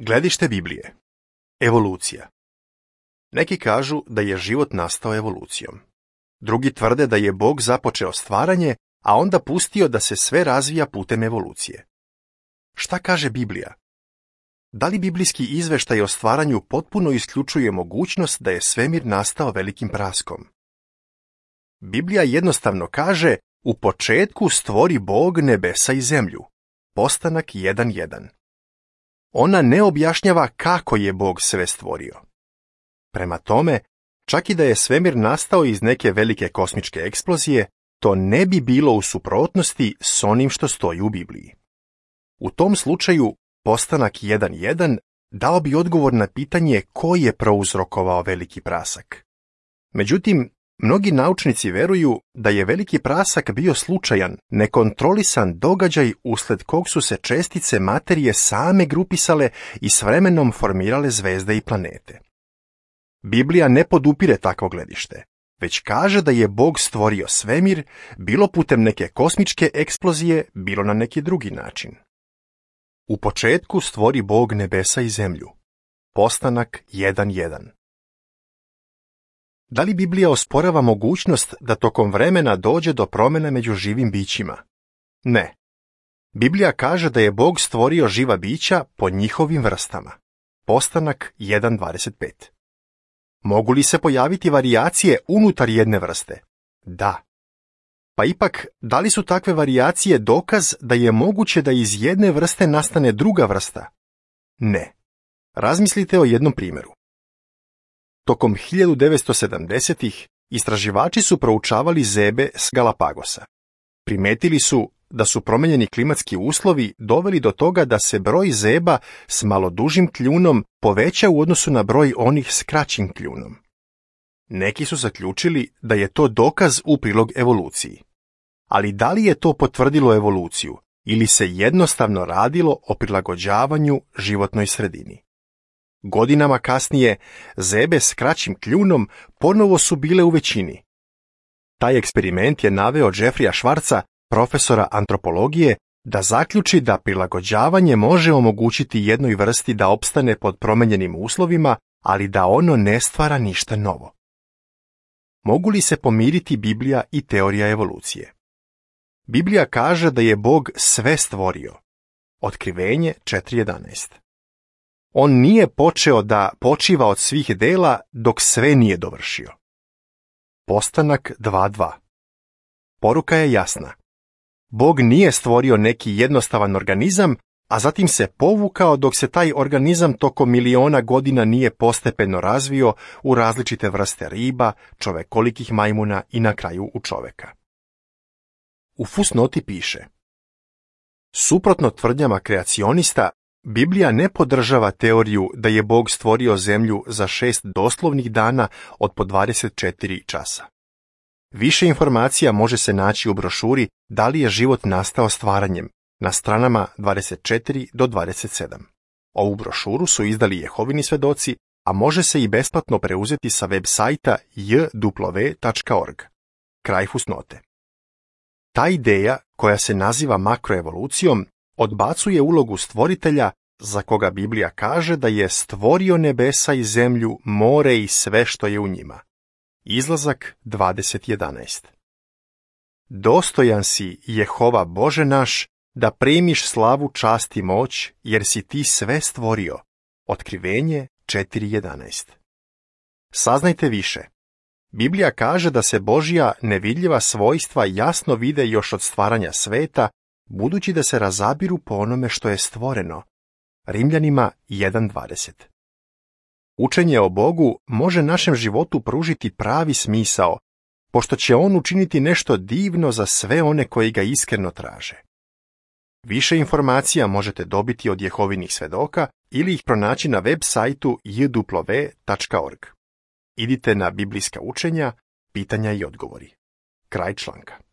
Gledište Biblije. Evolucija. Neki kažu da je život nastao evolucijom. Drugi tvrde da je Bog započeo stvaranje, a onda pustio da se sve razvija putem evolucije. Šta kaže Biblija? Da li biblijski izveštaj o stvaranju potpuno isključuje mogućnost da je svemir nastao velikim praskom? Biblija jednostavno kaže: u početku stvori Bog nebesa i zemlju. Postanak 1.1. Ona ne objašnjava kako je Bog sve stvorio. Prema tome, čak i da je svemir nastao iz neke velike kosmičke eksplozije, to ne bi bilo u suprotnosti s onim što stoji u Bibliji. U tom slučaju, Postanak 1.1 dao bi odgovor na pitanje ko je prouzrokovao veliki prasak. Međutim, mnogi naučnici veruju da je veliki prasak bio slučajan, nekontrolisan događaj usled kog su se čestice materije same grupisale i s vremenom formirale zvezde i planete. Biblija ne podupire takvo gledište, već kaže da je Bog stvorio svemir, bilo putem neke kosmičke eksplozije, bilo na neki drugi način. U početku stvori Bog nebesa i zemlju. Postanak 1.1. Da li Biblija osporava mogućnost da tokom vremena dođe do promjena među živim bićima? Ne. Biblija kaže da je Bog stvorio živa bića po njihovim vrstama. Postanak 1.25. Mogu li se pojaviti varijacije unutar jedne vrste? Da. Pa ipak, da li su takve varijacije dokaz da je moguće da iz jedne vrste nastane druga vrsta? Ne. Razmislite o jednom primjeru. Tokom 1970-ih istraživači su proučavali zebe s Galapagosa. Primetili su da su promijenjeni klimatski uslovi doveli do toga da se broj zeba s malo dužim kljunom poveća u odnosu na broj onih s kraćim kljunom. Neki su zaključili da je to dokaz u prilog evoluciji. Ali da li je to potvrdilo evoluciju ili se jednostavno radilo o prilagođavanju životnoj sredini? Godinama kasnije, zebe s kraćim kljunom ponovo su bile u većini. Taj eksperiment je naveo Jeffreya Schwartza, profesora antropologije, da zaključi da prilagođavanje može omogućiti jednoj vrsti da opstane pod promijenjenim uslovima, ali da ono ne stvara ništa novo. Mogu li se pomiriti Biblija i teorija evolucije? Biblija kaže da je Bog sve stvorio. Otkrivenje 4.11. On nije počeo da počiva od svih dela dok sve nije dovršio. Postanak 2.2. Poruka je jasna. Bog nije stvorio neki jednostavan organizam, a zatim se povukao dok se taj organizam tokom miliona godina nije postepeno razvio u različite vrste riba, čovekolikih majmuna i na kraju u čoveka. U fusnoti piše: suprotno tvrdnjama kreacionista, Biblija ne podržava teoriju da je Bog stvorio zemlju za 6 doslovnih dana od po 24 časa. Više informacija može se naći u brošuri Da li je život nastao stvaranjem na stranama 24 do 27. Ovu brošuru su izdali Jehovini svedoci, a može se i besplatno preuzeti sa web sajta jw.org. Kraj fusnote. Ta ideja, koja se naziva makroevolucijom, odbacuje ulogu stvoritelja, za koga Biblija kaže da je stvorio nebesa i zemlju, more i sve što je u njima. Izlazak 20.11. Dostojan si, Jehova Bože naš, da primiš slavu, čast i moć, jer si ti sve stvorio. Otkrivenje 4.11. Saznajte više. Biblija kaže da se Božja nevidljiva svojstva jasno vide još od stvaranja sveta, budući da se razabiru po onome što je stvoreno. Rimljanima 1.20. Učenje o Bogu može našem životu pružiti pravi smisao, pošto će on učiniti nešto divno za sve one koji ga iskreno traže. Više informacija možete dobiti od Jehovinih svedoka ili ih pronaći na web sajtu jw.org. Idite na biblijska učenja, pitanja i odgovori. Kraj članka.